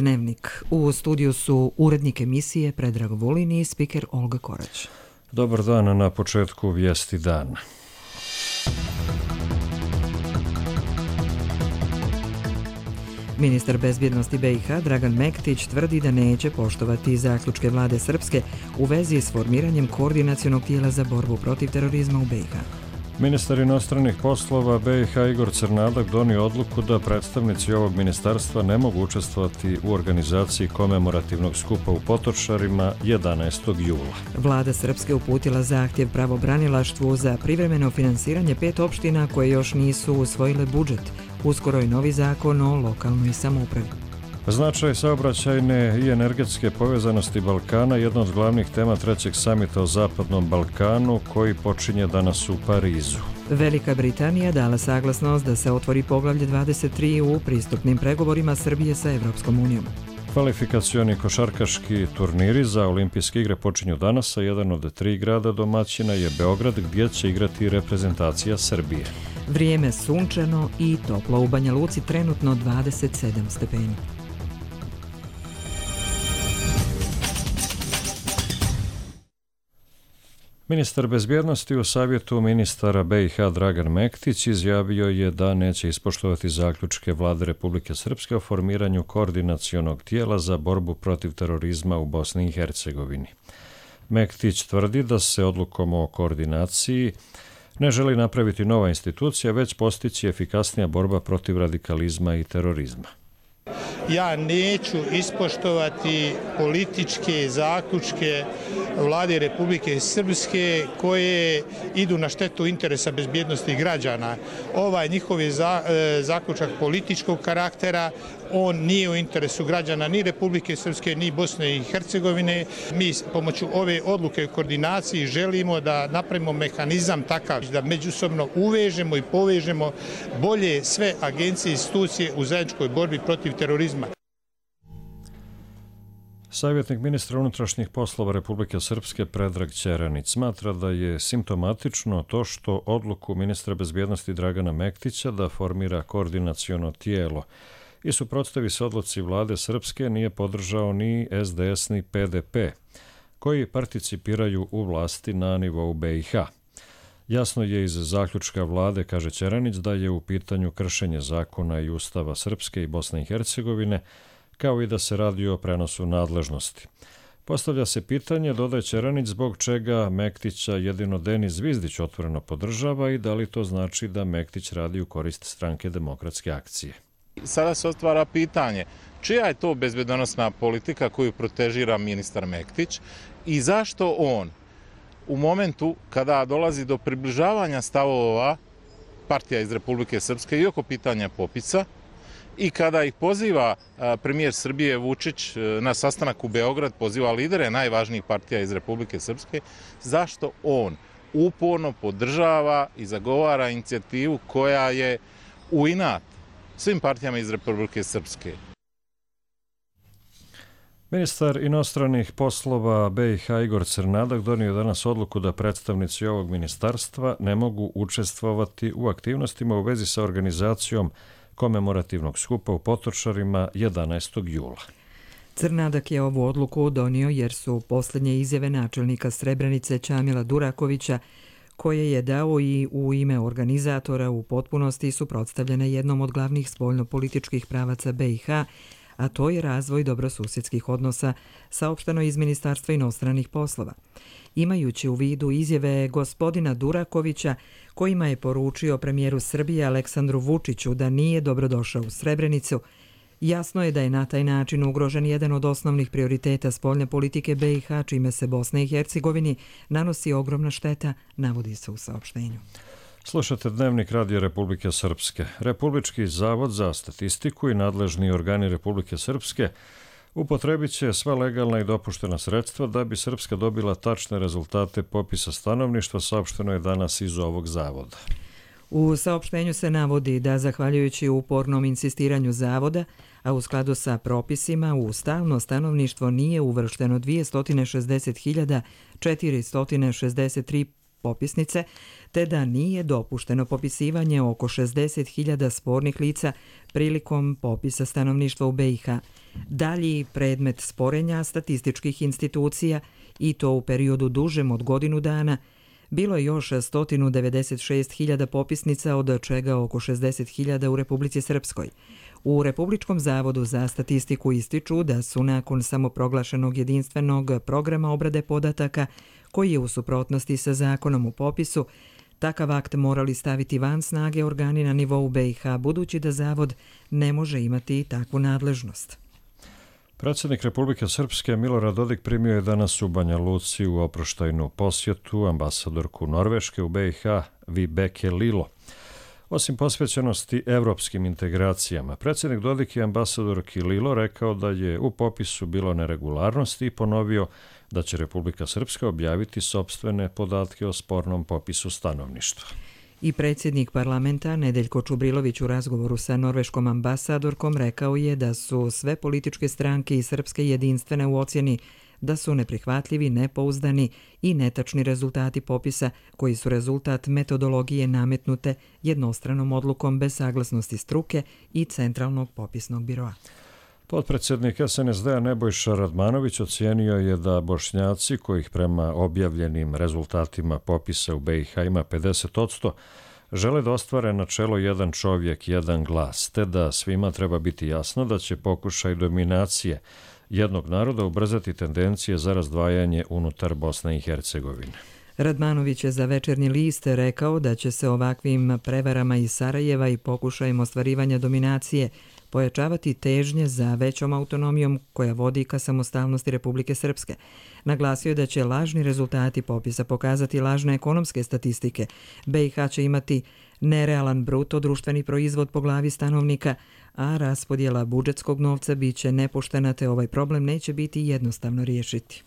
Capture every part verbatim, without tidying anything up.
Dnevnik. U studiju su urednik emisije Predrag Vulin i spiker Olga Korać. Dobar dan, na početku vijesti dana. Ministar bezbjednosti be i ha Dragan Mektić tvrdi da neće poštovati zaključke vlade Srpske u vezi s formiranjem koordinacionog tijela za borbu protiv terorizma u be i ha. Ministar inostranih poslova be i ha Igor Crnadak donio odluku da predstavnici ovog ministarstva ne mogu učestvovati u organizaciji komemorativnog skupa u Potočarima jedanaestog jula. Vlada Srpske uputila zahtjev pravobranilaštvu za privremeno finansiranje pet opština koje još nisu usvojile budžet. Uskoro i novi zakon o lokalnoj samoupravi. Značaj saobraćajne i energetske povezanosti Balkana je jedna od glavnih tema trećeg samita o Zapadnom Balkanu koji počinje danas u Parizu. Velika Britanija dala saglasnost da se otvori poglavlje dvadeset tri u pristupnim pregovorima Srbije sa Evropskom unijom. Kvalifikacioni košarkaški turniri za olimpijske igre počinju danas, a jedan od tri grada domaćina je Beograd gdje će igrati reprezentacija Srbije. Vrijeme sunčano i toplo, u Banja Luci trenutno dvadeset sedam stepeni. Ministar bezbjednosti u savjetu ministara be i ha Dragan Mektić izjavio je da neće ispoštovati zaključke vlade Republike Srpske o formiranju koordinacionog tijela za borbu protiv terorizma u Bosni i Hercegovini. Mektić tvrdi da se odlukom o koordinaciji ne želi napraviti nova institucija, već postići efikasnija borba protiv radikalizma i terorizma. Ja neću ispoštovati političke zaključke vlade Republike Srpske koje idu na štetu interesa bezbjednosti građana. Ovaj njihov je za, e, zaključak političkog karaktera, on nije u interesu građana ni Republike Srpske ni Bosne i Hercegovine. Mi pomoću ove odluke o koordinaciji želimo da napravimo mehanizam takav da međusobno uvežemo i povežemo bolje sve agencije i institucije u zajedničkoj borbi protiv terorizma. Savjetnik ministra unutrašnjih poslova Republike Srpske Predrag Ćeranić smatra da je simptomatično to što odluku ministra bezbjednosti Dragana Mektića da formira koordinaciono tijelo i suprotstavi se odluci vlade Srpske nije podržao ni es de es ni pe de pe, koji participiraju u vlasti na nivou be i ha. Jasno je iz zaključka vlade, kaže Ćeranić, da je u pitanju kršenje zakona i ustava Srpske i Bosne i Hercegovine, kao i da se radi o prenosu nadležnosti. Postavlja se pitanje, dodaje Ćeranić, zbog čega Mektića jedino Denis Zvizdić otvoreno podržava i da li to znači da Mektić radi u korist Stranke demokratske akcije. Sada se otvara pitanje čija je to bezbednosna politika koju protežira ministar Mektić i zašto on u momentu kada dolazi do približavanja stavova partija iz Republike Srpske i oko pitanja popisa i kada ih poziva premijer Srbije Vučić na sastanak u Beograd, poziva lidere najvažnijih partija iz Republike Srpske, zašto on uporno podržava i zagovara inicijativu koja je u inat svim partijama iz Republike Srpske? Ministar inostranih poslova be i ha Igor Crnadak donio danas odluku da predstavnici ovog ministarstva ne mogu učestvovati u aktivnostima u vezi sa organizacijom komemorativnog skupa u Potočarima jedanaestog jula. Crnadak je ovu odluku donio jer su posljednje izjave načelnika Srebrenice Čamila Durakovića, koje je dao i u ime organizatora, u potpunosti suprotstavljene jednom od glavnih spoljnopolitičkih pravaca be i ha, a to je razvoj dobrosusjedskih odnosa, saopšteno iz Ministarstva inostranih poslova. Imajući u vidu izjave gospodina Durakovića, kojima je poručio premijeru Srbije Aleksandru Vučiću da nije dobrodošao u Srebrenicu, jasno je da je na taj način ugrožen jedan od osnovnih prioriteta spoljne politike be i ha, čime se Bosni i Hercegovini nanosi ogromna šteta, navodi se u saopštenju. Slušate Dnevnik Radio Republike Srpske. Republički zavod za statistiku i nadležni organi Republike Srpske upotrebit će sva legalna i dopuštena sredstva da bi Srpska dobila tačne rezultate popisa stanovništva, saopšteno je danas iz ovog zavoda. U saopštenju se navodi da, zahvaljujući upornom insistiranju zavoda, a u skladu sa propisima, u stalno stanovništvo nije uvršteno dvjesto šezdeset hiljada četiristo šezdeset tri popisnice, te da nije dopušteno popisivanje oko šezdeset hiljada spornih lica prilikom popisa stanovništva u be i ha. Dalji predmet sporenja statističkih institucija, i to u periodu dužem od godinu dana, bilo je još sto devedeset šest hiljada popisnica, od čega oko šezdeset hiljada u Republici Srpskoj. U Republičkom zavodu za statistiku ističu da su nakon samoproglašenog jedinstvenog programa obrade podataka, koji je u suprotnosti sa zakonom u popisu, takav akt morali staviti van snage organi na nivou be i ha, budući da Zavod ne može imati takvu nadležnost. Predsjednik Republike Srpske Milorad Dodik primio je danas u Banja Luci u oproštajnu posjetu ambasadorku Norveške u be i ha Vibeke Lilo. Osim posvećenosti evropskim integracijama, predsjednik Dodik je ambasadorki Lilo rekao da je u popisu bilo neregularnosti i ponovio da će Republika Srpska objaviti sopstvene podatke o spornom popisu stanovništva. I predsjednik parlamenta Nedeljko Čubrilović u razgovoru sa norveškom ambasadorkom rekao je da su sve političke stranke i srpske jedinstvene u ocjeni da su neprihvatljivi, nepouzdani i netačni rezultati popisa koji su rezultat metodologije nametnute jednostranom odlukom bez saglasnosti struke i Centralnog popisnog biroa. Potpredsjednik es en es de-a Nebojša Radmanović ocijenio je da Bošnjaci, kojih prema objavljenim rezultatima popisa u be i ha ima pedeset posto, žele da ostvare načelo jedan čovjek, jedan glas, te da svima treba biti jasno da će pokušaj dominacije jednog naroda ubrzati tendencije za razdvajanje unutar Bosne i Hercegovine. Radmanović je za Večernji list rekao da će se ovakvim prevarama iz Sarajeva i pokušajem ostvarivanja dominacije pojačavati težnje za većom autonomijom koja vodi ka samostalnosti Republike Srpske. Naglasio je da će lažni rezultati popisa pokazati lažne ekonomske statistike. be i ha će imati nerealan bruto društveni proizvod po glavi stanovnika, a raspodjela budžetskog novca biće nepoštena, te ovaj problem neće biti jednostavno riješiti.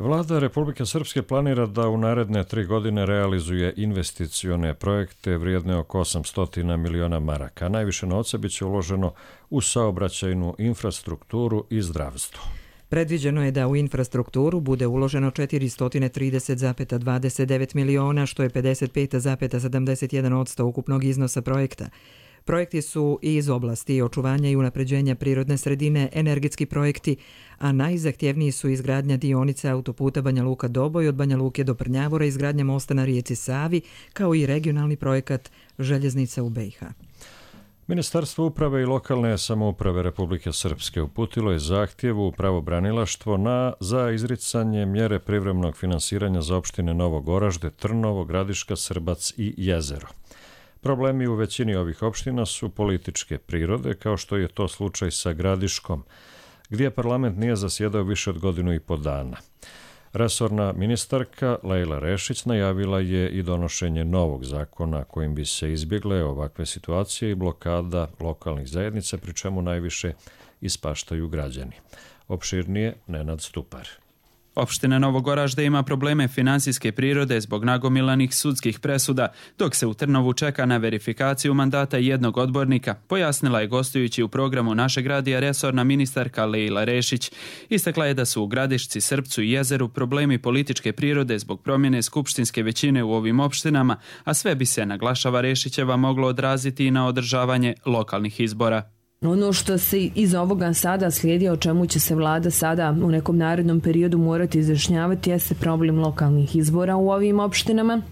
Vlada Republike Srpske planira da u naredne tri godine realizuje investicione projekte vrijedne oko osamsto miliona maraka. Najviše novca biće uloženo u saobraćajnu infrastrukturu i zdravstvo. Predviđeno je da u infrastrukturu bude uloženo četiristo trideset zarez dvadeset devet miliona, što je pedeset pet zarez sedamdeset jedan posto ukupnog iznosa projekta. Projekti su i iz oblasti očuvanja i unapređenja prirodne sredine, energetski projekti, a najzahtjevniji su izgradnja dionice autoputa Banja Luka-Doboj od Banja Luke do Prnjavora, izgradnja mosta na rijeci Savi, kao i regionalni projekat željeznica u be i ha. Ministarstvo uprave i lokalne samouprave Republike Srpske uputilo je zahtjev u pravobranilaštvo na za izricanje mjere privremenog finansiranja za opštine Novo Goražde, Trnovo, Gradiška, Srbac i Jezero. Problemi u većini ovih opština su političke prirode, kao što je to slučaj sa Gradiškom, gdje parlament nije zasjedao više od godinu i po dana. Resorna ministarka Lejla Rešić najavila je i donošenje novog zakona kojim bi se izbjegle ovakve situacije i blokada lokalnih zajednica, pri čemu najviše ispaštaju građani. Opširnije Nenad Stupar. Opština Novo Goražde ima probleme finansijske prirode zbog nagomilanih sudskih presuda, dok se u Trnovu čeka na verifikaciju mandata jednog odbornika, pojasnila je gostujući u programu Našeg radija resorna ministarka Lejla Rešić. Istakla je da su u Gradišci, Srpcu i Jezeru problemi političke prirode zbog promjene skupštinske većine u ovim opštinama, a sve bi se, naglašava Rešićeva, moglo odraziti i na održavanje lokalnih izbora. Ono što se iz ovoga sada slijedi, o čemu će se vlada sada u nekom narednom periodu morati izjašnjavati, jeste problem lokalnih izbora u ovim opštinama.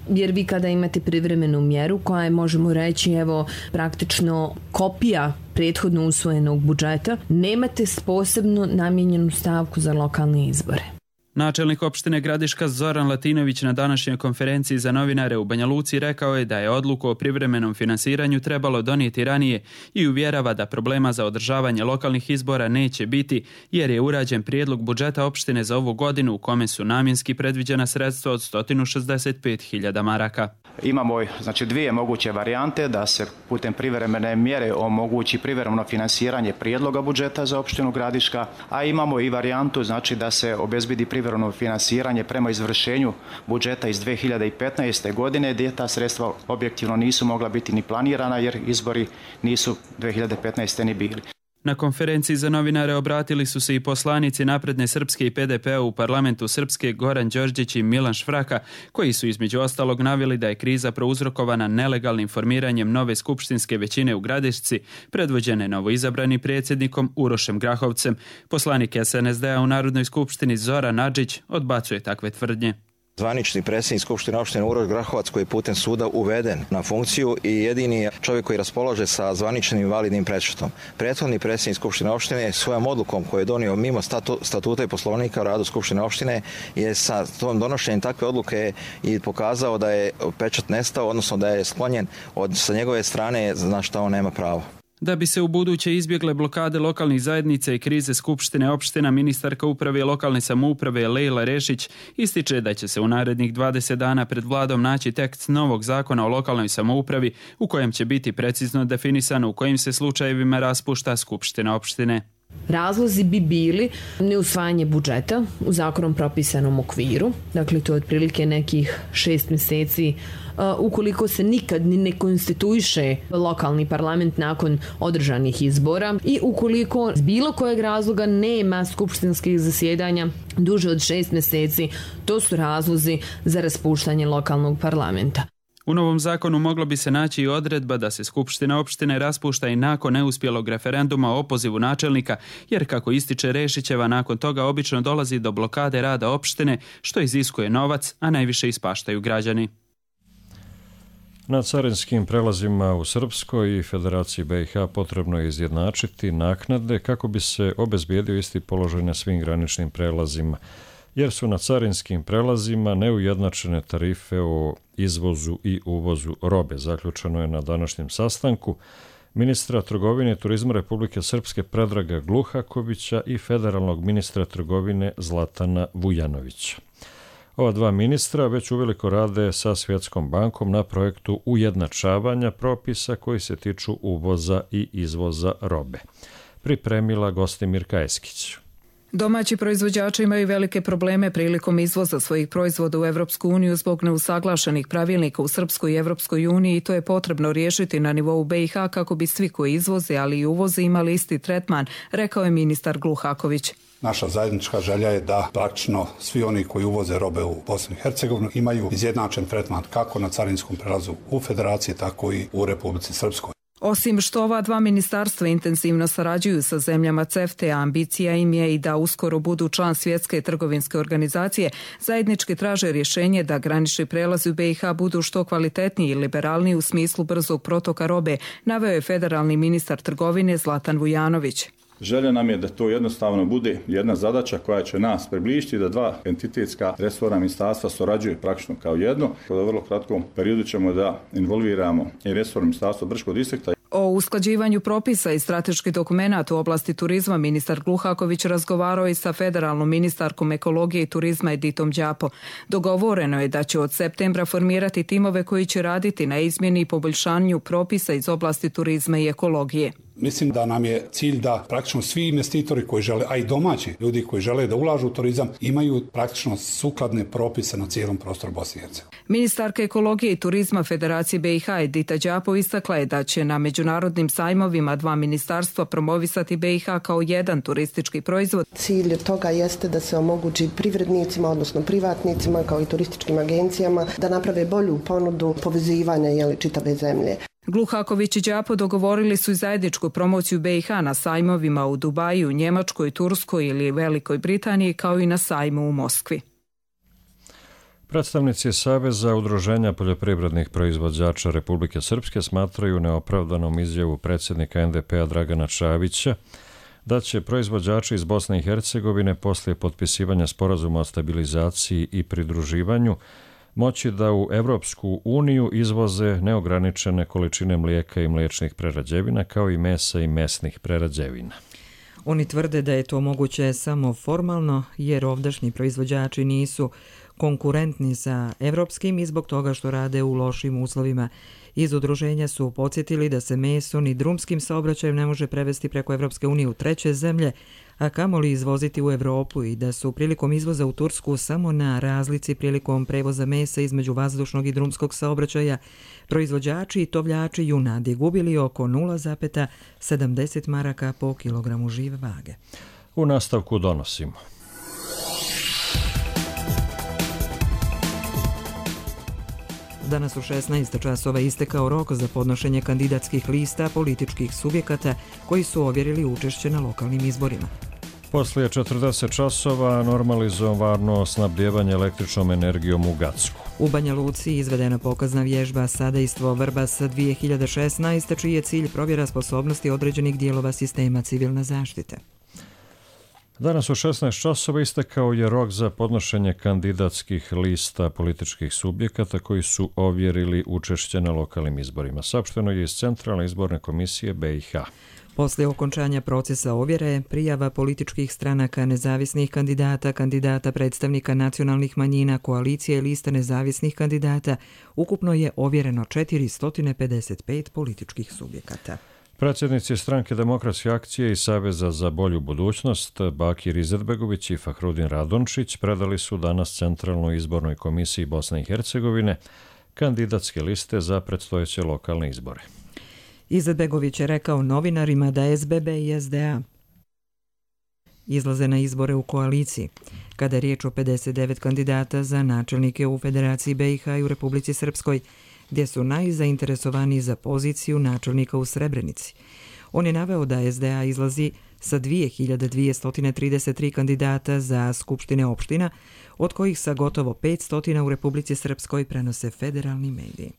Jer vi kada imate privremenu mjeru koja je, možemo reći, evo, praktično kopija prethodno usvojenog budžeta, nemate posebno namijenjenu stavku za lokalne izbore. Načelnik opštine Gradiška Zoran Latinović na današnjoj konferenciji za novinare u Banja Luci rekao je da je odluku o privremenom finansiranju trebalo donijeti ranije i uvjerava da problema za održavanje lokalnih izbora neće biti, jer je urađen prijedlog budžeta opštine za ovu godinu u kome su namjenski predviđena sredstva od sto šezdeset pet hiljada maraka. Imamo znači dvije moguće varijante da se putem privremene mjere omogući privremeno finansiranje prijedloga budžeta za opštinu Gradiška, a imamo i varijantu znači da se obezbedi privremeno finansiranje prema izvršenju budžeta iz dve hiljade petnaeste. godine, gdje ta sredstva objektivno nisu mogla biti ni planirana jer izbori nisu dve hiljade petnaeste. ni bili. Na konferenciji za novinare obratili su se i poslanici Napredne Srpske i P D P-a u parlamentu Srpske Goran Đorđić i Milan Švraka, koji su između ostalog naveli da je kriza prouzrokovana nelegalnim formiranjem nove skupštinske većine u Gradišci, predvođene novoizabranim predsjednikom Urošem Grahovcem. Poslanik S N S D-a u Narodnoj skupštini Zoran Adžić odbacuje takve tvrdnje. Zvanični predsjednik Skupštine opštine Uroš Grahovac koji je putem suda uveden na funkciju i jedini čovjek koji raspolaže sa zvaničnim i validnim prečetom. Prethodni predsjednik Skupštine opštine svojom odlukom koju je donio mimo statu, statuta i poslovnika o radu Skupštine opštine je sa tom donošenjem takve odluke i pokazao da je pečat nestao, odnosno da je sklonjen od, sa njegove strane na što on nema pravo. Da bi se u buduće izbjegle blokade lokalnih zajednica i krize Skupštine opština, ministarka uprave i lokalne samouprave Lejla Rešić ističe da će se u narednih dvadeset dana pred vladom naći tekst novog zakona o lokalnoj samoupravi u kojem će biti precizno definisano u kojim se slučajevima raspušta Skupština opštine. Razlozi bi bili neusvajanje budžeta u zakonom propisanom okviru, dakle to je otprilike nekih šest mjeseci ukoliko se nikad ni ne konstituiše lokalni parlament nakon održanih izbora i ukoliko z bilo kojeg razloga nema skupštinskih zasjedanja duže od šest mjeseci, to su razlozi za raspuštanje lokalnog parlamenta. U novom zakonu moglo bi se naći i odredba da se Skupština opštine raspušta i nakon neuspjelog referenduma o opozivu načelnika, jer kako ističe Rešićeva, nakon toga obično dolazi do blokade rada opštine, što iziskuje novac, a najviše ispaštaju građani. Na carinskim prelazima u Srpskoj i Federaciji B i H potrebno je izjednačiti naknade kako bi se obezbijedio isti položaj na svim graničnim prelazima, jer su na carinskim prelazima neujednačene tarife o izvozu i uvozu robe. Zaključeno je na današnjem sastanku ministra trgovine i turizma Republike Srpske Predraga Gluhakovića i federalnog ministra trgovine Zlatana Vujanovića. Ova dva ministra već uveliko rade sa Svjetskom bankom na projektu ujednačavanja propisa koji se tiču uvoza i izvoza robe. Pripremila Gostimirka Eskić. Domaći proizvođači imaju velike probleme prilikom izvoza svojih proizvoda u Evropsku uniju zbog neusaglašenih pravilnika u Srpskoj i Evropskoj uniji i to je potrebno riješiti na nivou B i H kako bi svi koji izvoze, ali i uvoze imali isti tretman, rekao je ministar Gluhaković. Naša zajednička želja je da praktično svi oni koji uvoze robe u Bosnu i Hercegovinu imaju izjednačen tretman kako na carinskom prelazu u Federaciji, tako i u Republici Srpskoj. Osim što ova dva ministarstva intenzivno sarađuju sa zemljama C E F T E, ambicija im je i da uskoro budu član Svjetske trgovinske organizacije, zajednički traže rješenje da granični prelazi u B i H budu što kvalitetniji i liberalniji u smislu brzog protoka robe, naveo je federalni ministar trgovine Zlatan Vujanović. Želja nam je da to jednostavno bude jedna zadaća koja će nas približiti, da dva entitetska resorna ministarstva surađuju praktično kao jedno. U vrlo kratkom periodu ćemo da involviramo i resorno ministarstvo Brčkog distrikta. O usklađivanju propisa i strateških dokumenata u oblasti turizma ministar Gluhaković razgovarao i sa federalnom ministarkom ekologije i turizma Editom Đapo. Dogovoreno je da će od septembra formirati timove koji će raditi na izmjeni i poboljšanju propisa iz oblasti turizma i ekologije. Mislim da nam je cilj da praktično svi investitori koji žele, a i domaći ljudi koji žele da ulažu u turizam, imaju praktično sukladne propise na cijelom prostoru Bosne i Hercegovine. Ministarka ekologije i turizma Federacije B i H Edita Đapo istakla je da će na međunarodnim sajmovima dva ministarstva promovisati B i H kao jedan turistički proizvod. Cilj toga jeste da se omogući privrednicima, odnosno privatnicima kao i turističkim agencijama da naprave bolju ponudu povezivanja jeli, čitave zemlje. Gluhaković i Đapo dogovorili su i zajedničku promociju B i H na sajmovima u Dubaju, Njemačkoj, Turskoj ili Velikoj Britaniji, kao i na sajmu u Moskvi. Predstavnici Saveza udruženja poljoprivrednih proizvođača Republike Srpske smatraju neopravdanom izjavu predsjednika N D P-a Dragana Čavića da će proizvođači iz Bosne i Hercegovine poslije potpisivanja sporazuma o stabilizaciji i pridruživanju moći da u Evropsku uniju izvoze neograničene količine mlijeka i mliječnih prerađevina kao i mesa i mesnih prerađevina. Oni tvrde da je to moguće samo formalno jer ovdašnji proizvođači nisu konkurentni sa evropskim i zbog toga što rade u lošim uslovima. Iz udruženja su podsjetili da se meso ni drumskim saobraćajem ne može prevesti preko Evropske unije u treće zemlje, a kamoli izvoziti u Evropu i da su prilikom izvoza u Tursku samo na razlici prilikom prevoza mesa između vazdušnog i drumskog saobraćaja proizvođači i tovljači junadi gubili oko nula zarez sedamdeset maraka po kilogramu žive vage. U nastavku donosimo. Danas u šesnaest časova istekao rok za podnošenje kandidatskih lista političkih subjekata koji su ovjerili učešće na lokalnim izborima. Poslije četrdeset časova normalizovano snabdijevanje električnom energijom u Gacku. U Banja Luci izvedena pokazna vježba Sadejstvo Vrbas dvije hiljade šesnaeste, čiji je cilj provjera sposobnosti određenih dijelova sistema civilne zaštite. Danas u šesnaest časova istekao je rok za podnošenje kandidatskih lista političkih subjekata koji su ovjerili učešće na lokalnim izborima. Saopšteno je iz Centralne izborne komisije B i H. Poslije okončanja procesa ovjere, prijava političkih stranaka, nezavisnih kandidata, kandidata predstavnika nacionalnih manjina, koalicije i lista nezavisnih kandidata, ukupno je ovjereno četiristo pedeset pet političkih subjekata. Predsjednici Stranke demokratske akcije i Saveza za bolju budućnost Bakir Izetbegović i Fahrudin Radončić predali su danas Centralnoj izbornoj komisiji Bosne i Hercegovine kandidatske liste za predstojeće lokalne izbore. Izetbegović je rekao novinarima da S B B i S D A izlaze na izbore u koaliciji. Kada je riječ o pedeset devet kandidata za načelnike u Federaciji B i H i u Republici Srpskoj, gdje su najzainteresovaniji za poziciju načelnika u Srebrenici. On je naveo da S D A izlazi sa dvije hiljade dvjesto trideset tri kandidata za skupštine opština, od kojih sa gotovo petsto u Republici Srpskoj prenose federalni mediji.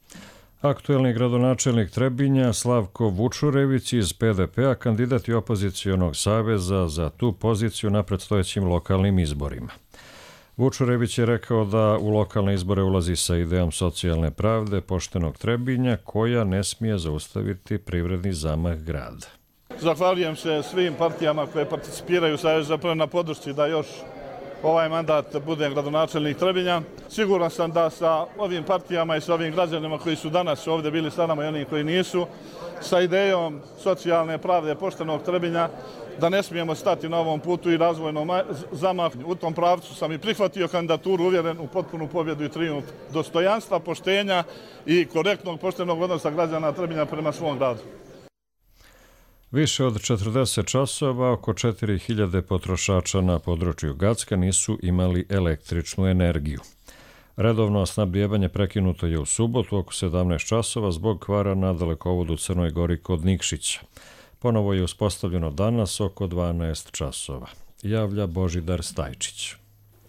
Aktuelni gradonačelnik Trebinja Slavko Vučurević iz P D P-a kandidat je opozicionog saveza za tu poziciju na predstojećim lokalnim izborima. Vučurević je rekao da u lokalne izbore ulazi sa idejom socijalne pravde poštenog Trebinja koja ne smije zaustaviti privredni zamah grada. Zahvaljujem se svim partijama koje participiraju zapravo na podršci da još ovaj mandat bude gradonačelnik Trebinja. Siguran sam da sa ovim partijama i sa ovim građanima koji su danas ovdje bili sa nama i oni koji nisu, sa idejom socijalne pravde poštenog Trebinja, da ne smijemo stati na ovom putu i razvojnom zamahu. U tom pravcu sam i prihvatio kandidaturu, uvjeren u potpunu pobjedu i trijumf dostojanstva, poštenja i korektnog poštenog odnosa građana Trebinja prema svom gradu. Više od četrdeset časova oko četiri hiljade potrošača na području Gacka nisu imali električnu energiju. Redovno snabdijevanje prekinuto je u subotu oko sedamnaest časova zbog kvara na dalekovodu Crnoj Gori kod Nikšića. Ponovo je uspostavljeno danas oko dvanaest časova. Javlja Božidar Stajčić.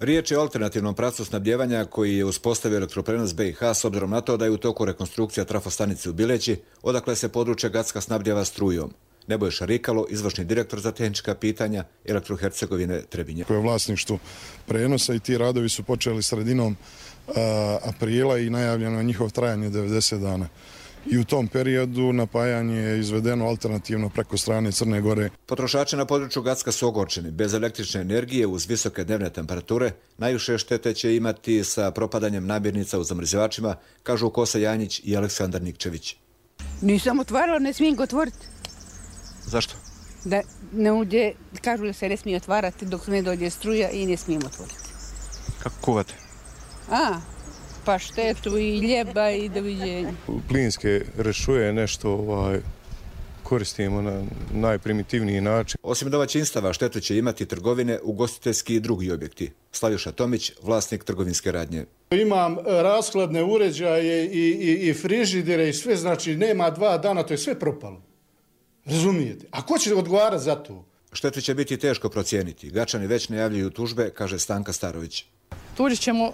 Riječ je o alternativnom pravcu snabdijevanja koji je uspostavio elektroprenos B i H s obzirom na to da je u toku rekonstrukcija trafostanice u Bileći, odakle se područje Gacka snabdijeva strujom. Nebojša Rikalo, izvršni direktor za tehnička pitanja Elektrohercegovine Trebinje. Koje je vlasništvo prenosa i ti radovi su počeli sredinom uh, aprila i najavljeno je njihov trajanje devedeset dana. I u tom periodu napajanje je izvedeno alternativno preko strane Crne Gore. Potrošači na području Gacka su ogorčeni. Bez električne energije uz visoke dnevne temperature najviše štete će imati sa propadanjem namirnica u zamrzivačima, kažu Kosa Janjić i Aleksandar Nikčević. Nisam otvarala, ne smijem ga otvoriti. Zašto? Da ne uđe, kažu da se ne smije otvarati dok ne dođe struja i ne smijem otvoriti. Kako kuvate? A, paštetu i ljeba i doviđenja. Plinske rešuje nešto ovaj, koristimo na najprimitivniji način. Osim domaćinstava štetu će imati trgovine, ugostiteljski i drugi objekti. Slaviša Tomić, vlasnik trgovinske radnje. Imam rashladne uređaje i, i, i frižidere i sve, znači nema dva dana, to je sve propalo. Razumijete? A ko će odgovarati za to? Štetu će biti teško procijeniti. Gačani već najavljuju tužbe, kaže Stanka Starović. Tužit ćemo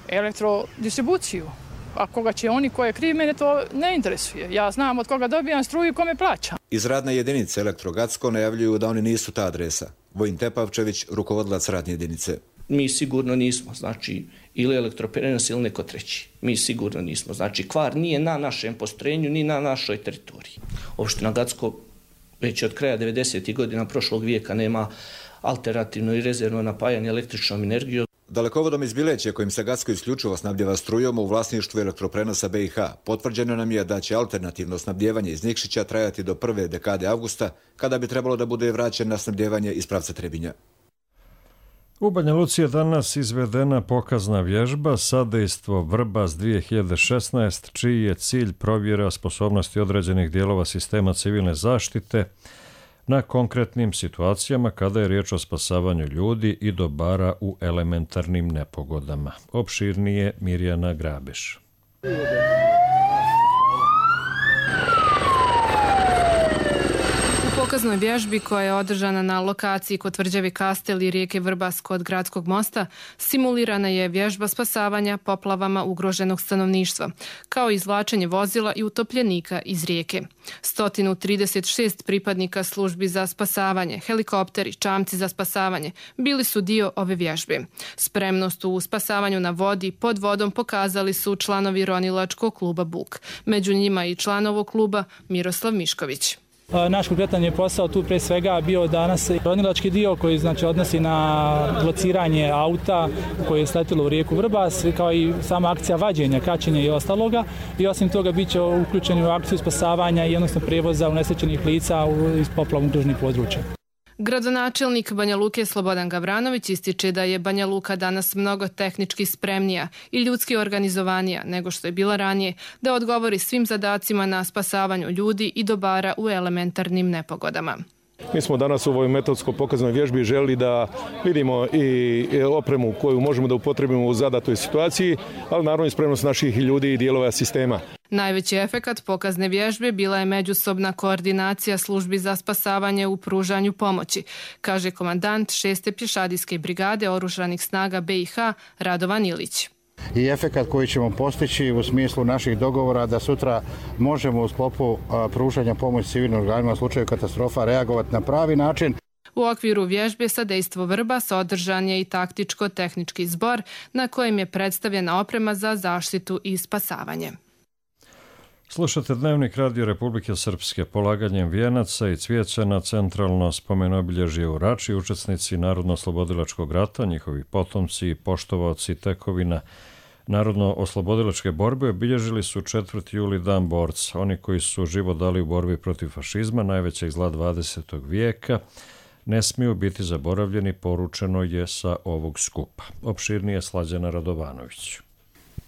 elektrodistribuciju. A koga će oni ko je kriv, mene to ne interesuje. Ja znam od koga dobijam struju i kome plaćam. Iz radne jedinice Elektrogacko najavljuju da oni nisu ta adresa. Vojin Tepavčević, rukovodilac radne jedinice. Mi sigurno nismo, znači, ili elektroprenos ili neko treći. Mi sigurno nismo. Znači, kvar nije na našem postrojenju, ni na našoj teritoriji. Opština Gacko već od kraja devedesetih godina prošlog vijeka nema alternativno i rezervno napajanje električnom energijom. Dalekovodom iz Bileće, kojim se Gacko isključivo snabdjeva strujom u vlasništvu elektroprenosa B i H, potvrđeno nam je da će alternativno snabdjevanje iz Nikšića trajati do prve dekade avgusta, kada bi trebalo da bude vraćen na snabdjevanje iz pravca Trebinja. U Banja Luci je danas izvedena pokazna vježba Sadejstvo Vrbas dvije hiljade šesnaest, čiji je cilj provjera sposobnosti određenih dijelova sistema civilne zaštite na konkretnim situacijama kada je riječ o spasavanju ljudi i dobara u elementarnim nepogodama. Opširnije Mirjana Grabeš. U pokaznoj vježbi koja je održana na lokaciji kod tvrđave Kastel i rijeke Vrbas kod gradskog mosta, simulirana je vježba spasavanja poplavama ugroženog stanovništva, kao i izvlačenje vozila i utopljenika iz rijeke. sto trideset šest pripadnika službi za spasavanje, helikopteri, čamci za spasavanje bili su dio ove vježbe. Spremnost u spasavanju na vodi pod vodom pokazali su članovi ronilačkog kluba Buk. Među njima i član ovog kluba Miroslav Mišković. Naš konkretan je posao tu pre svega bio danas ronilački dio koji znači odnosi na lociranje auta koje je sletilo u rijeku Vrbas, kao i sama akcija vađenja, kačenja i ostaloga. I osim toga bit će uključeni u akciju spasavanja i odnosno prijevoza unesrećenih lica iz poplavom ugroženih područja. Gradonačelnik Banja Luke Slobodan Gavranović ističe da je Banja Luka danas mnogo tehnički spremnija i ljudski organizovanija nego što je bila ranije, da odgovori svim zadacima na spasavanju ljudi i dobara u elementarnim nepogodama. Mi smo danas u ovoj metodsko pokaznoj vježbi želi da vidimo i opremu koju možemo da upotrebimo u zadatoj situaciji, ali naravno i spremnost naših ljudi i dijelova sistema. Najveći efekat pokazne vježbe bila je međusobna koordinacija službi za spasavanje u pružanju pomoći, kaže komandant šeste pješadijske brigade oružanih snaga B i H Radovan Ilić. I efekat koji ćemo postići u smislu naših dogovora da sutra možemo u sklopu pružanja pomoći civilnim organima u slučaju katastrofa reagovati na pravi način. U okviru vježbe Sadejstvo Vrbas održan je i taktičko-tehnički zbor na kojem je predstavljena oprema za zaštitu i spasavanje. Slušate Dnevnik Radio Republike Srpske. Polaganjem vijenaca i cvijeća na centralno spomenobilježje u Rači, učesnici Narodno-oslobodilačkog rata, njihovi potomci i poštovaoci tekovina Narodno-oslobodilačke borbe obilježili su četvrti juli dan borca. Oni koji su život dali u borbi protiv fašizma, najvećeg zla dvadesetog vijeka, ne smiju biti zaboravljeni, poručeno je sa ovog skupa. Opširnije Slađana Radovanović.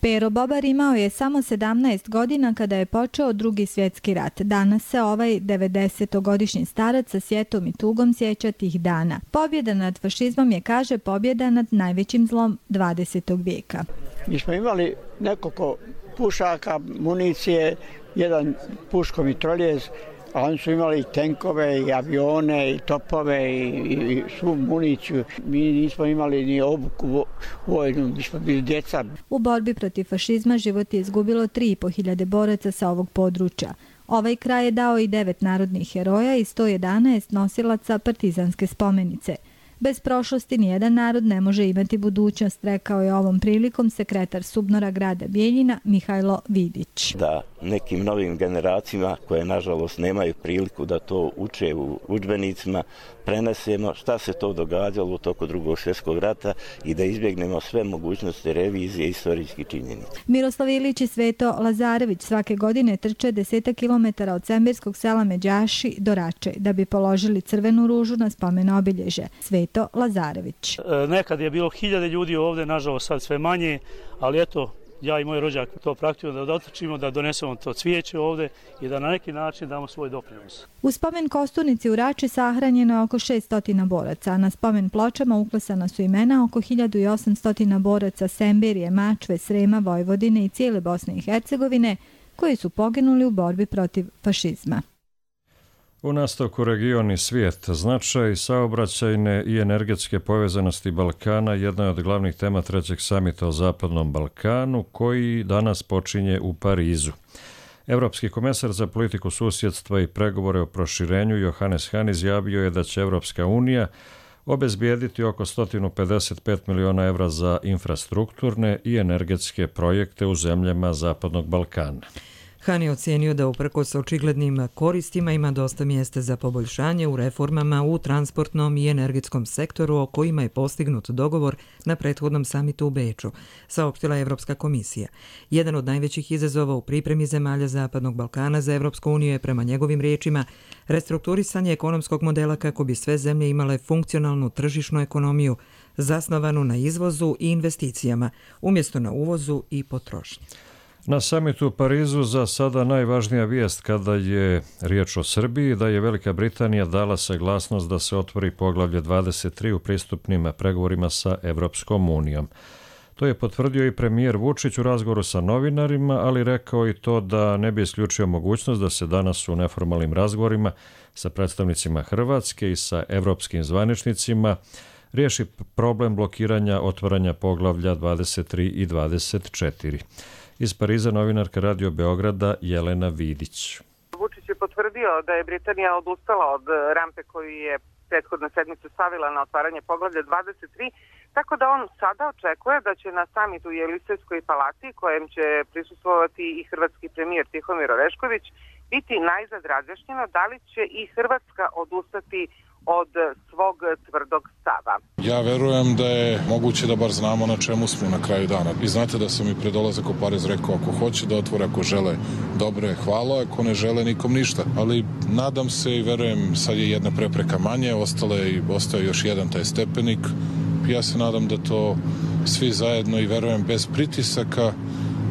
Pero Bobar imao je samo sedamnaest godina kada je počeo Drugi svjetski rat. Danas se ovaj devedesetogodišnji starac sa sjetom i tugom sjeća tih dana. Pobjeda nad fašizmom je, kaže, pobjeda nad najvećim zlom dvadesetog vijeka. Mi smo imali nekoliko pušaka, municije, jedan puško mitroljez, a oni su imali i tenkove, i avione, i topove, i, i svu municiju. Mi nismo imali ni obuku vojnu, mi smo bili djeca. U borbi protiv fašizma život je izgubilo tri i po hiljade boraca sa ovog područja. Ovaj kraj je dao i devet narodnih heroja i sto jedanaest nosilaca partizanske spomenice. Bez prošlosti nijedan narod ne može imati budućnost, rekao je ovom prilikom sekretar Subnora grada Bijeljina Mihajlo Vidić. Da nekim novim generacijama koje nažalost nemaju priliku da to uče u udžbenicima, prenesemo šta se to događalo u toku Drugog svjetskog rata i da izbjegnemo sve mogućnosti revizije istorijskih činjenica. Miroslav Ilić i Sveto Lazarević svake godine trče desetak kilometara od sembirskog sela Međaši do Rače da bi položili crvenu ružu na spomen obilježje. Sveto Lazarević. Nekad je bilo hiljade ljudi ovdje, nažalost sad sve manje, ali eto, ja i moj rođak to praktikujemo da dotrčimo, da donesemo to cvijeće ovdje i da na neki način damo svoj doprinos. U spomen kosturnici u Rači sahranjeno je oko šesto boraca, a na spomen pločama uklesana su imena oko hiljadu osamsto boraca Sembirije, Mačve, Srema, Vojvodine i cijele Bosne i Hercegovine koji su poginuli u borbi protiv fašizma. U nastavku region i svijet, značaj saobraćajne i energetske povezanosti Balkana jedna je od glavnih tema trećeg samita o Zapadnom Balkanu koji danas počinje u Parizu. Evropski komesar za politiku susjedstva i pregovore o proširenju Johannes Hahn izjavio je da će Evropska unija obezbijediti oko sto pedeset pet miliona evra za infrastrukturne i energetske projekte u zemljama Zapadnog Balkana. Han je ocijenio da uprkos očiglednim koristima ima dosta mjesta za poboljšanje u reformama u transportnom i energetskom sektoru o kojima je postignut dogovor na prethodnom samitu u Beču, saopštila Evropska komisija. Jedan od najvećih izazova u pripremi zemalja Zapadnog Balkana za Evropsku uniju je prema njegovim riječima restrukturisanje ekonomskog modela kako bi sve zemlje imale funkcionalnu tržišnu ekonomiju zasnovanu na izvozu i investicijama, umjesto na uvozu i potrošnji. Na samitu u Parizu za sada najvažnija vijest kada je riječ o Srbiji da je Velika Britanija dala saglasnost da se otvori poglavlje dvadeset tri u pristupnim pregovorima sa Evropskom unijom. To je potvrdio i premijer Vučić u razgovoru sa novinarima, ali rekao i to da ne bi isključio mogućnost da se danas u neformalnim razgovorima sa predstavnicima Hrvatske i sa evropskim zvaničnicima riješi problem blokiranja otvaranja poglavlja dvadeset tri i dvadeset četiri. Iz Pariza novinarka Radio Beograda Jelena Vidić. Vučić je potvrdio da je Britanija odustala od rampe koju je prethodne sedmice stavila na otvaranje poglavlja dvadeset tri, tako da on sada očekuje da će na samitu u Jelisejskoj palati, kojem će prisustvovati i hrvatski premijer Tihomir Orešković, biti najzad razjašnjeno da li će i Hrvatska odustati od svog tvrdog stava. Ja verujem da je moguće da bar znamo na čemu smo na kraju dana. Vi znate da sam i pred dolazak u Pariz rekao ako hoće da otvore, ako žele dobre, hvala, ako ne žele nikom ništa. Ali nadam se i verujem sad je jedna prepreka manje, ostale i ostao još jedan taj stepenik. Ja se nadam da to svi zajedno i verujem bez pritisaka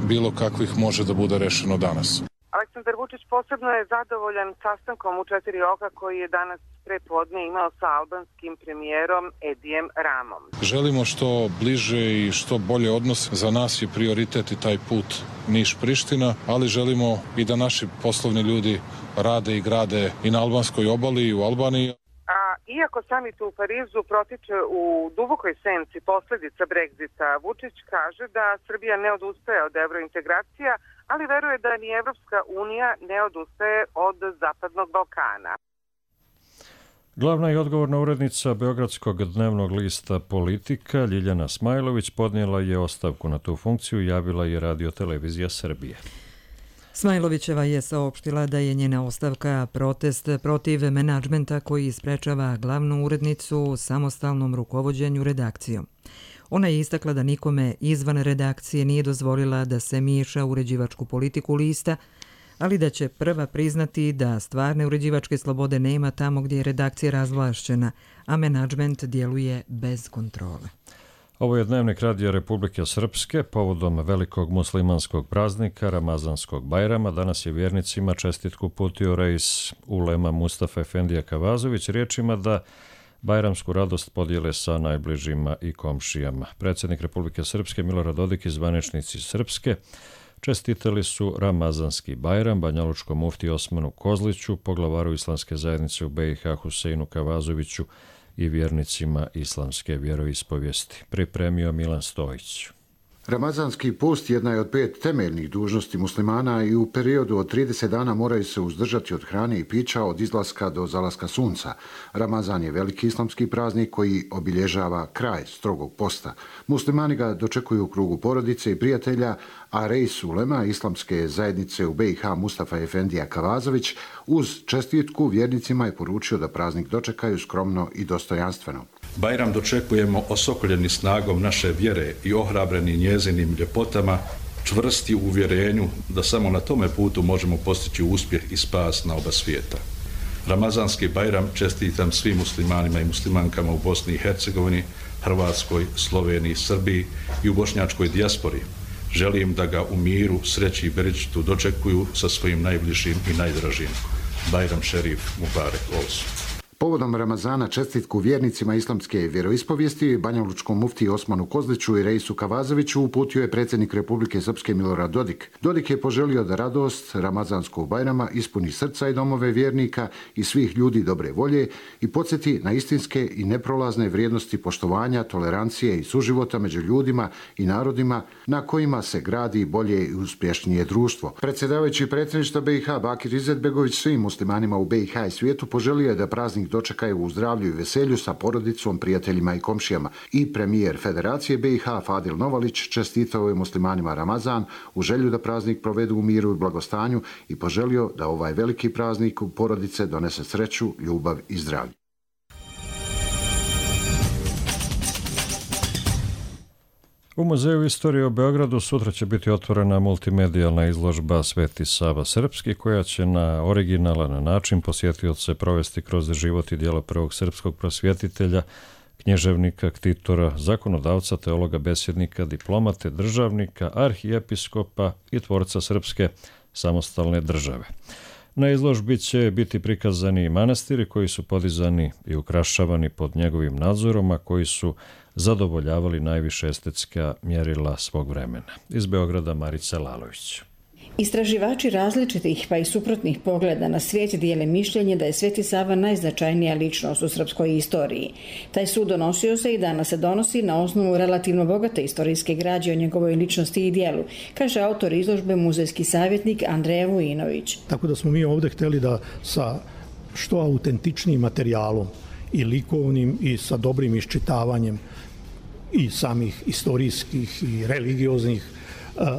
bilo kakvih može da bude rešeno danas. Aleksandar Vučić posebno je zadovoljan sastankom u četiri oka koji je danas prepodne imao sa albanskim premijerom Edijem Ramom. Želimo što bliže i što bolje odnos. Za nas je prioritet i taj put Niš-Priština, ali želimo i da naši poslovni ljudi rade i grade i na albanskoj obali i u Albaniji. A iako samit u Parizu protiče u dubokoj senci posljedica Brexita, Vučić kaže da Srbija ne odustaje od evrointegracija, ali veruje da ni Evropska unija ne odustaje od Zapadnog Balkana. Glavna i odgovorna urednica Beogradskog dnevnog lista Politika Ljiljana Smajlović podnijela je ostavku na tu funkciju i javila je Radio Televizija Srbije. Smajlovićeva je saopštila da je njena ostavka protest protiv menadžmenta koji sprečava glavnu urednicu u samostalnom rukovođenju redakcijom. Ona je istakla da nikome izvan redakcije nije dozvolila da se miješa u uređivačku politiku lista, ali da će prva priznati da stvarne uređivačke slobode nema tamo gdje je redakcija razvlašćena, a menadžment djeluje bez kontrole. Ovo je Dnevnik Radija Republike Srpske povodom velikog muslimanskog praznika Ramazanskog Bajrama. Danas je vjernicima čestitku uputio reis ulema Mustafa Efendija Kavazović riječima da bajramsku radost podijele sa najbližima i komšijama. Predsjednik Republike Srpske Milorad Dodik i zvaničnici Srpske čestitali su Ramazanski Bajram banjalučkom mufti Osmanu Kozliću, poglavaru islamske zajednice u B i H Huseinu Kavazoviću i vjernicima islamske vjeroispovijesti. Pripremio Milan Stojić. Ramazanski post jedna je od pet temeljnih dužnosti muslimana i u periodu od trideset dana moraju se uzdržati od hrane i pića od izlaska do zalaska sunca. Ramazan je veliki islamski praznik koji obilježava kraj strogog posta. Muslimani ga dočekuju u krugu porodice i prijatelja, a reis ulema islamske zajednice u B i H Mustafa Efendija Kavazović uz čestitku vjernicima je poručio da praznik dočekaju skromno i dostojanstveno. Bajram dočekujemo osokoljeni snagom naše vjere i ohrabreni njezinim ljepotama, čvrsti u uvjerenju da samo na tome putu možemo postići uspjeh i spas na oba svijeta. Ramazanski Bajram čestitam svim muslimanima i muslimankama u Bosni i Hercegovini, Hrvatskoj, Sloveniji, Srbiji i u bošnjačkoj dijaspori. Želim da ga u miru, sreći i beričetu dočekuju sa svojim najbližim i najdražim. Bajram Šerif Mubarek Olsu. Povodom Ramazana čestitku vjernicima islamske vjeroispovijesti banjalučkom mufti Osmanu Kozliću i reisu Kavazoviću uputio je predsjednik Republike Srpske Milorad Dodik. Dodik je poželio da radost Ramazanskog Bajrama ispuni srca i domove vjernika i svih ljudi dobre volje i podsjeti na istinske i neprolazne vrijednosti poštovanja, tolerancije i suživota među ljudima i narodima na kojima se gradi bolje i uspješnije društvo. Predsjedavajući predsjedništva B i H Bakir Izetbegović svim muslimanima u B i H i svijetu poželio je da praznik dočekaju u zdravlju i veselju sa porodicom, prijateljima i komšijama. I premijer Federacije B i H Fadil Novalić čestitao je muslimanima Ramazan u želju da praznik provedu u miru i blagostanju i poželio da ovaj veliki praznik u porodice donese sreću, ljubav i zdravlje. U Muzeju istorije u Beogradu sutra će biti otvorena multimedijalna izložba Sveti Sava Srpski, koja će na originalan način posjetioce provesti kroz život i djelo prvog srpskog prosvjetitelja, knježevnika, ktitora, zakonodavca, teologa, besjednika, diplomate, državnika, arhijepiskopa i tvorca srpske samostalne države. Na izložbi će biti prikazani manastiri koji su podizani i ukrašavani pod njegovim nadzorom, a koji su zadovoljavali najviše estetska mjerila svog vremena. Iz Beograda Marica Lalović. Istraživači različitih pa i suprotnih pogleda na svijet dijele mišljenje da je Sveti Sava najznačajnija ličnost u srpskoj istoriji. Taj sud donosio se i danas se donosi na osnovu relativno bogate istorijske građe o njegovoj ličnosti i dijelu, kaže autor izložbe, muzejski savjetnik Andreja Vujinović. Tako da smo mi ovdje htjeli da sa što autentičnijim materijalom i likovnim i sa dobrim iščitavanjem i samih istorijskih i religioznih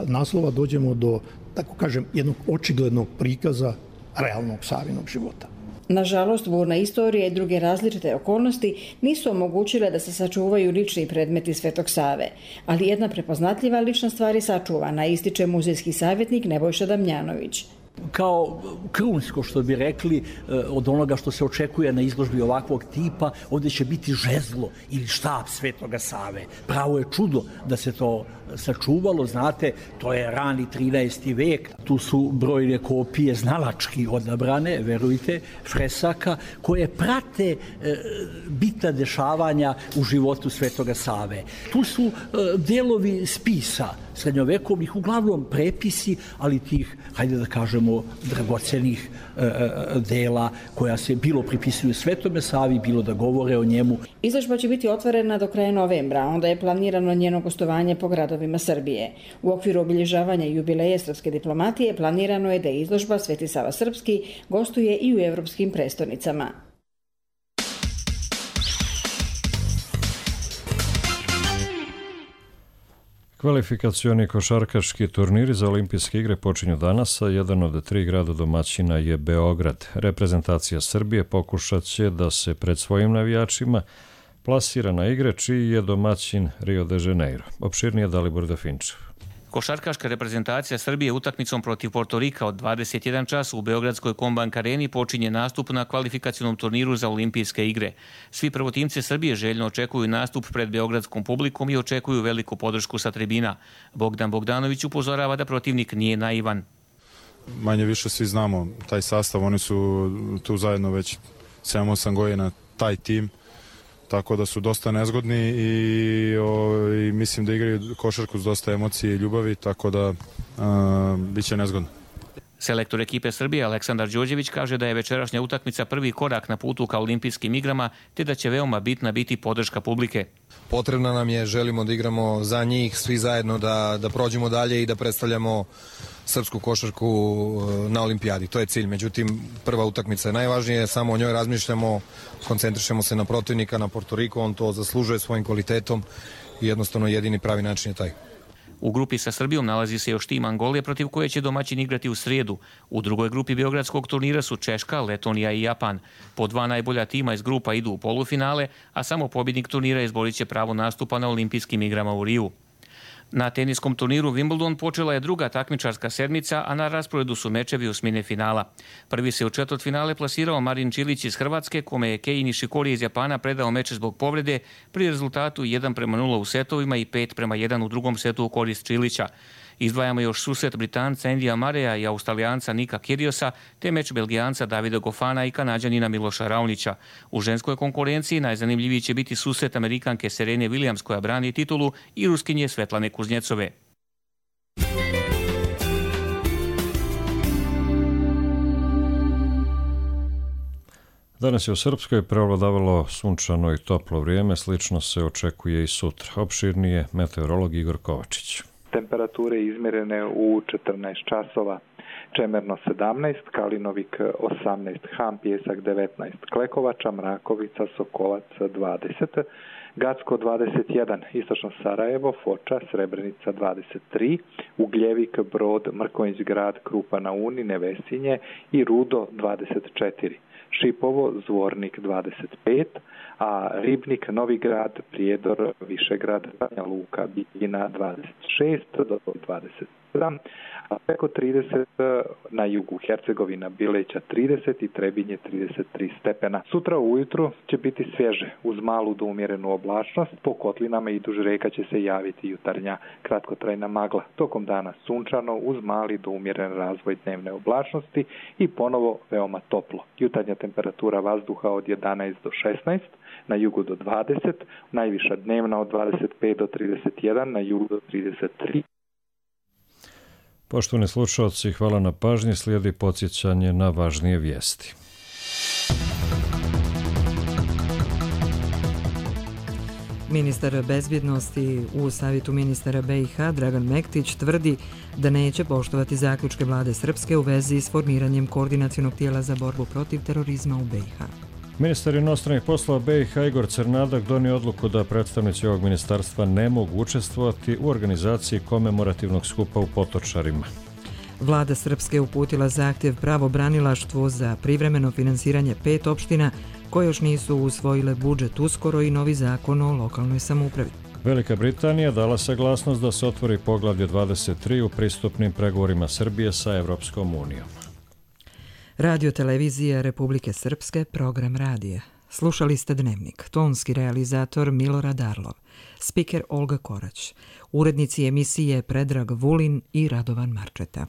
naslova dođemo do, tako kažem, jednog očiglednog prikaza realnog Savinog života. Nažalost, burna istorija i druge različite okolnosti nisu omogućile da se sačuvaju lični predmeti Svetog Save, ali jedna prepoznatljiva lična stvar je sačuvana, ističe muzejski savjetnik Nebojša Damjanović. Kao krunsko, što bi rekli, od onoga što se očekuje na izložbi ovakvog tipa, ovdje će biti žezlo ili štap Svetoga Save. Pravo je čudo da se to sačuvalo, znate, to je rani trinaesti vek, tu su brojne kopije znalački odabrane, verujte, fresaka, koje prate e, bitna dešavanja u životu Svetoga Save. Tu su e, delovi spisa srednjovekovnih, uglavnom prepisi, ali tih, hajde da kažemo, dragocenih e, dela koja se bilo pripisuju Svetome Savi, bilo da govore o njemu. Izložba će biti otvorena do kraja novembra, onda je planirano njeno gostovanje po gradovima Srbije. U okviru obilježavanja jubileja srpske diplomatije planirano je da izložba Sveti Sava Srpski gostuje i u evropskim prestonicama. Kvalifikacioni košarkaški turniri za olimpijske igre počinju danas, a jedan od tri grada domaćina je Beograd. Reprezentacija Srbije pokušat će da se pred svojim navijačima plasira na igre čiji je domaćin Rio de Janeiro. Opširnije Dalibor Dafinčev. Košarkaška reprezentacija Srbije utakmicom protiv Portorika od dvadeset jedan čas u Beogradskoj Kombank areni počinje nastup na kvalifikacionom turniru za olimpijske igre. Svi prvotimci Srbije željno očekuju nastup pred beogradskom publikom i očekuju veliku podršku sa tribina. Bogdan Bogdanović upozorava da protivnik nije naivan. Manje više svi znamo taj sastav, oni su tu zajedno već sedam osam godina, taj tim. Tako da su dosta nezgodni i, o, i mislim da igraju košarku s dosta emocije i ljubavi, tako da a, bit će nezgodno. Selektor ekipe Srbije Aleksandar Đorđević kaže da je večerašnja utakmica prvi korak na putu ka olimpijskim igrama, te da će veoma bitna biti podrška publike. Potrebna nam je, želimo da igramo za njih, svi zajedno da, da prođemo dalje i da predstavljamo srpsku košarku na olimpijadi. To je cilj. Međutim, prva utakmica je najvažnije, samo o njoj razmišljamo, koncentrišemo se na protivnika, na Portoriku, on to zaslužuje svojim kvalitetom i jednostavno jedini pravi način je taj. U grupi sa Srbijom nalazi se još tim Angolije, protiv koje će domaćin igrati u srijedu. U drugoj grupi beogradskog turnira su Češka, Letonija i Japan. Po dva najbolja tima iz grupa idu u polufinale, a samo pobjednik turnira izborit će pravo nastupa na olimpijskim igrama u Riju. Na teniskom turniru Wimbledon počela je druga takmičarska sedmica, a na rasporedu su mečevi osmine finala. Prvi se u četvrtfinale plasirao Marin Čilić iz Hrvatske, kome je Kei Nishikori iz Japana predao meč zbog povrede pri rezultatu jedan prema nula u setovima i pet prema jedan u drugom setu u korist Čilića. Izdvajamo još susret Britanca Endija Mareja i Australijanca Nika Kyrgiosa, te meč Belgijanca Davida Gofana i Kanađanina Miloša Raonića. U ženskoj konkurenciji najzanimljiviji će biti susret Amerikanke Serene Williams, koja brani titulu, i Ruskinje Svetlane Kuznjecove. Danas je u Srpskoj prevladavalo sunčano i toplo vrijeme, slično se očekuje i sutra. Opširnije meteorolog Igor Kovačić. Temperature izmjerene u četrnaest časova. Čemerno sedamnaest, Kalinovik osamnaest, Han Pjesak devetnaest, Klekovača, Mrakovica, Sokolac dvadeset, Gacko dvadeset jedan, Istočno Sarajevo, Foča, Srebrenica dvadeset tri, Ugljevik, Brod, Mrkonjić Grad, Krupa na Uni, Nevesinje i Rudo dvadeset četiri. Šipovo, Zvornik dvadeset pet, a Ribnik, Novi Grad, Prijedor, Višegrad, Banja Luka, Bijeljina dvadeset šest do dvadeset sedam, a preko trideset na jugu Hercegovina, Bileća trideset i Trebinje trideset tri stepena. Sutra ujutru će biti svježe uz malu do umjerenu oblačnost, po kotlinama i duž reka će se javiti jutarnja kratkotrajna magla. Tokom dana sunčano uz mali do umjeren razvoj dnevne oblačnosti i ponovo veoma toplo. Jutarnja temperatura vazduha od jedanaest do šesnaest, na jugu do dvadeset, najviša dnevna od dvadeset pet do trideset jedan, na jugu do trideset tri. Poštovani slušalci, hvala na pažnji, slijedi podsjećanje na važnije vijesti. Ministar bezbjednosti u Savjetu ministara B i H Dragan Mektić tvrdi da neće poštovati zaključke vlade Srpske u vezi s formiranjem koordinacionog tijela za borbu protiv terorizma u B i H. Ministar inostranih poslova B i H Igor Crnadak donio odluku da predstavnici ovog ministarstva ne mogu učestvovati u organizaciji komemorativnog skupa u Potočarima. Vlada Srpske uputila zahtjev pravobranilaštvu za privremeno finansiranje pet opština koje još nisu usvojile budžet uskoro i novi zakon o lokalnoj samoupravi. Velika Britanija dala saglasnost da se otvori poglavlje dvadeset tri u pristupnim pregovorima Srbije sa Evropskom unijom. Radio televizija Republike Srpske, program radija. Slušali ste Dnevnik, tonski realizator Milorad Arlov, spiker Olga Korać, urednici emisije Predrag Vulin i Radovan Marčeta.